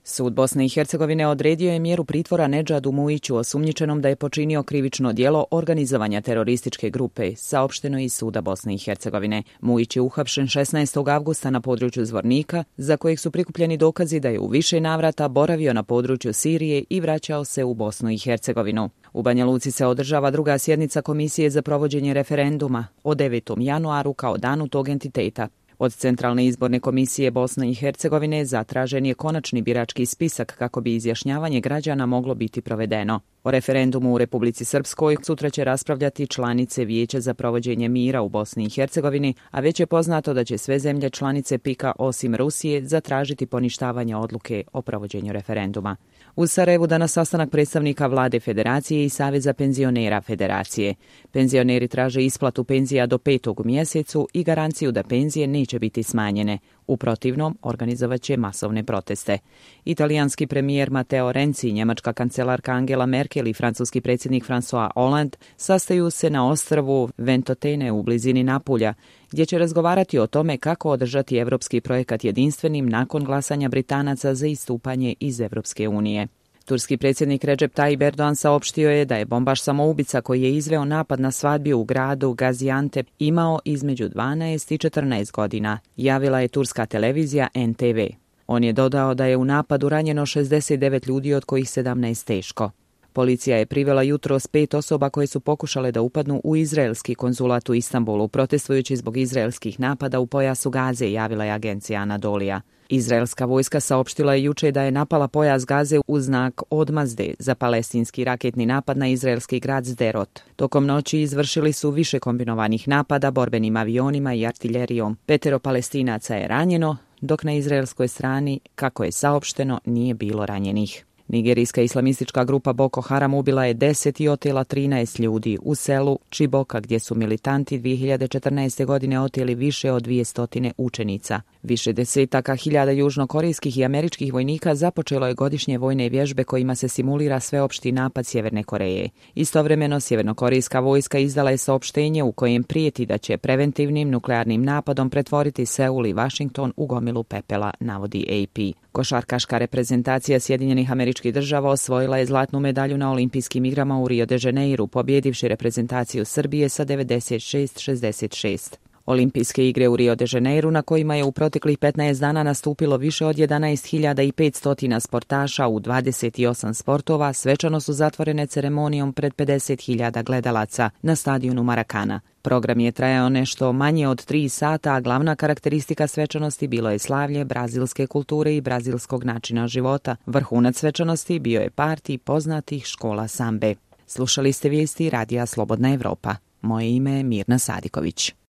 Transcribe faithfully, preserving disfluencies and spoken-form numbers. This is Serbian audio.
Sud Bosne i Hercegovine odredio je mjeru pritvora Nedžadu Mujiću osumnjičenom da je počinio krivično djelo organizovanja terorističke grupe, saopšteno iz Suda Bosne i Hercegovine. Mujić je uhapšen šesnaestog avgusta na području Zvornika, za kojeg su prikupljeni dokazi da je u više navrata boravio na području Sirije i vraćao se u Bosnu i Hercegovinu. U Banja Luci se održava druga sjednica Komisije za provođenje referenduma o devetom januaru kao danu tog entiteta. Od Centralne izborne komisije Bosne i Hercegovine zatražen je konačni birački spisak kako bi izjašnjavanje građana moglo biti provedeno. O referendumu u Republici Srpskoj sutra će raspravljati članice Vijeća za provođenje mira u Bosni i Hercegovini, a već je poznato da će sve zemlje članice P I K-a osim Rusije zatražiti poništavanje odluke o provođenju referenduma. U Sarajevu danas sastanak predstavnika vlade Federacije i Saveza penzionera Federacije. Penzioneri traže isplatu penzija do petog u mjesecu i garanciju da penzije neće biti smanjene. U protivnom, organizovat će masovne proteste. Italijanski premijer Matteo Renzi, njemačka kancelarka Angela Merkel i francuski predsjednik François Hollande sastaju se na ostrvu Ventotene u blizini Napulja, gdje će razgovarati o tome kako održati evropski projekat jedinstvenim nakon glasanja Britanaca za istupanje iz Evropske unije. Turski predsjednik Recep Tayyip Erdogan saopštio je da je bombaš samoubica koji je izveo napad na svadbi u gradu Gaziantep imao između dvanaest i četrnaest godina, javila je turska televizija N T V. On je dodao da je u napadu ranjeno šezdeset devet ljudi, od kojih sedamnaest teško. Policija je privela jutros pet osoba koje su pokušale da upadnu u izraelski konzulat u Istanbulu, protestujući zbog izraelskih napada u pojasu Gaze, javila je agencija Anadolija. Izraelska vojska saopštila je juče da je napala pojas Gaze u znak odmazde za palestinski raketni napad na izraelski grad Sderot. Tokom noći izvršili su više kombinovanih napada borbenim avionima i artiljerijom. Petero Palestinaca je ranjeno, dok na izraelskoj strani, kako je saopšteno, nije bilo ranjenih. Nigerijska islamistička grupa Boko Haram ubila je deset i otela trinaest ljudi u selu Čiboka, gdje su militanti dvije hiljade četrnaeste. godine oteli više od dvjesto učenica. Više desetaka hiljada južnokorejskih i američkih vojnika započelo je godišnje vojne vježbe kojima se simulira sveopšti napad Sjeverne Koreje. Istovremeno, sjevernokorejska vojska izdala je saopštenje u kojem prijeti da će preventivnim nuklearnim napadom pretvoriti Seul i Washington u gomilu pepela, navodi A P. Košarkaška reprezentacija Sjedinjenih Američkih Država osvojila je zlatnu medalju na olimpijskim igrama u Rio de Janeiru, pobjedivši reprezentaciju Srbije sa devedeset šest šezdeset šest. Olimpijske igre u Rio de Janeiru, na kojima je u proteklih petnaest dana nastupilo više od jedanaest hiljada petsto sportaša u dvadeset osam sportova, svečano su zatvorene ceremonijom pred pedeset hiljada gledalaca na stadionu Maracana. Program je trajao nešto manje od tri sata, a glavna karakteristika svečanosti bilo je slavlje brazilske kulture i brazilskog načina života. Vrhunac svečanosti bio je partij poznatih škola sambe. Slušali ste vijesti Radija Slobodna Evropa. Moje ime je Mirna Sadiković.